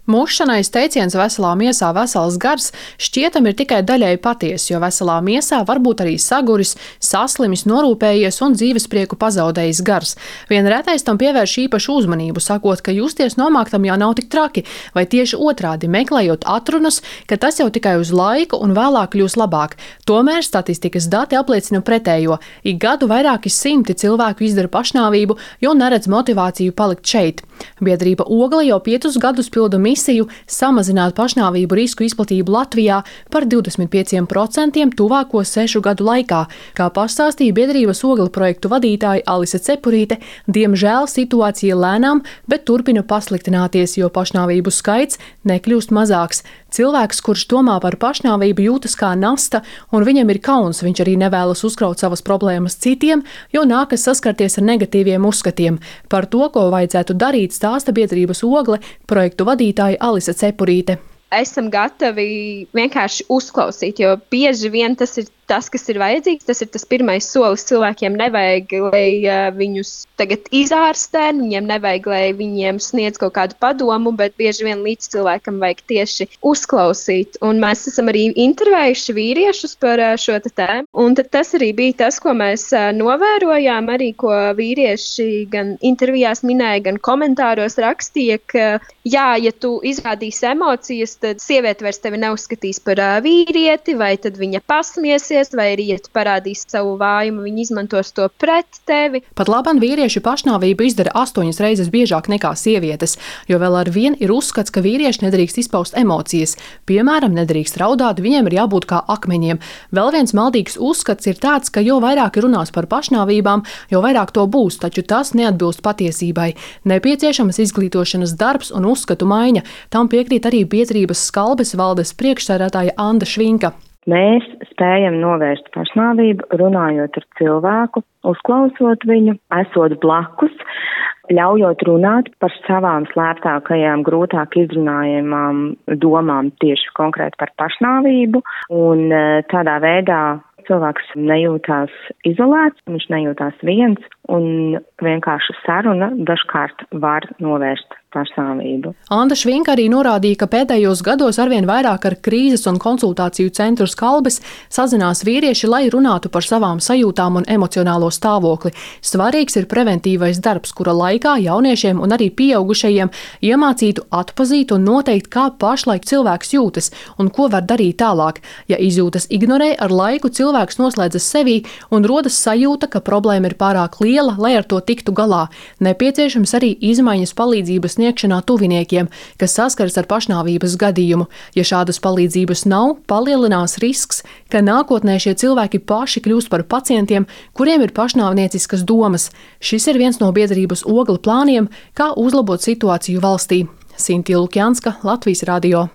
Mūžšanais teiciens veselā miesā vesels gars šķietam ir tikai daļēji patiess, jo veselā miesā var būt arī saguris, saslimis, norūpējies un dzīvesprieku pazaudējis gars. Vien retais tam pievērš īpašu uzmanību, sakot, ka justies nomāktam jau nav tik traki, vai tieši otrādi meklējot atrunas, ka tas jau tikai uz laiku un vēlāk kļūs labāk. Tomēr statistikas dati apliecina pretējo. Ik gadu vairāki simti cilvēku izdara pašnāvību, jo neredz motivāciju palikt šeit. Biedrība Ogle jau 5 gadus pilda misiju samazināt pašnāvību risku izplatību Latvijā par 25% tuvāko 6 gadu laikā. Kā pastāstīja biedrības Ogle projektu vadītāja Alise Cepurīte, diemžēl situācija lēnām, bet turpina pasliktināties, jo pašnāvību skaits nekļūst mazāks. Cilvēks, kurš domā par pašnāvību, jūtas kā nasta, un viņam ir kauns, viņš arī nevēlas uzkraut savas problēmas citiem, jo nākas saskarties ar negatīviem uzskatiem. Par to, ko vajadzētu darīt, stāsta biedrības Ogle projektu vadītāja Alise Cepurīte. Esam gatavi vienkārši uzklausīt, jo bieži vien tas ir tas, kas ir vajadzīgs. Tas ir tas pirmais solis. Cilvēkiem nevajag, lai viņus tagad izārstē, viņiem nevajag, lai viņiem sniedz kaut kādu padomu, bet bieži vien līdz cilvēkam vajag tieši uzklausīt. Un mēs esam arī intervējuši vīriešus par šo tēmu. Un tad tas arī bija tas, ko mēs novērojām, arī ko vīrieši gan intervijās minēja, gan komentāros rakstīja, ka jā, ja tu izrādīsi emocijas, tad sieviete vairs tevi neuzskatīs par vīrieti, vai tad viņa pasmiesies, vai arī, ja tu parādīsi savu vājumu, viņi izmantos to pret tevi. Pat labam vīrieši pašnāvību izdara 8 reizes biežāk nekā sievietes, jo vēl ar vien ir uzskats, ka vīrieši nedrīkst izpaust emocijas. Piemēram, nedrīkst raudāt, viņiem ir jābūt kā akmeņiem. Vēl viens maldīgs uzskats ir tāds, ka jo vairāk runās par pašnāvībām, jo vairāk to būs, taču tas neatbilst patiesībai. Nepieciešamas izglītošanas darbs un uzskatu maiņa. Tam piekrīt arī biedrības Skalbes valdes priekšsēdētāja Anda Švinka. Mēs spējam novērst pašnāvību, runājot ar cilvēku, uzklausot viņu, esot blakus, ļaujot runāt par savām slēptākajām, grūtāk izrunājamām domām tieši konkrēti par pašnāvību, un tādā veidā cilvēks nejūtās izolēts, viņš nejūtās viens, un vienkārši saruna dažkārt var novērst pašnāvību. Anda Švinka arī norādīja, ka pēdējos gados arvien vairāk ar krīzes un konsultāciju centru Skalbes sazinās vīrieši, lai runātu par savām sajūtām un emocionālo stāvokli. Svarīgs ir preventīvais darbs, kura laikā jauniešiem un arī pieaugušajiem iemācītu atpazīt un noteikt, kā pašlaik cilvēks jūtas un ko var darīt tālāk. Ja izjūtas ignorē, ar laiku cilvēks noslēdzas sevī un rodas sajūta, ka problēma ir pārāk liela, lai ar to tiktu galā. Nepieciešams arī izmaiņas palīdzības sniegšanā tuviniekiem, kas saskaras ar pašnāvības gadījumu. Ja šādas palīdzības nav, palielinās risks, ka nākotnē šie cilvēki paši kļūst par pacientiem, kuriem ir pašnāvnieciskas domas. Šis ir viens no biedrības Ogle plāniem, kā uzlabot situāciju valstī. Sintīna Lukjanska, Latvijas radio.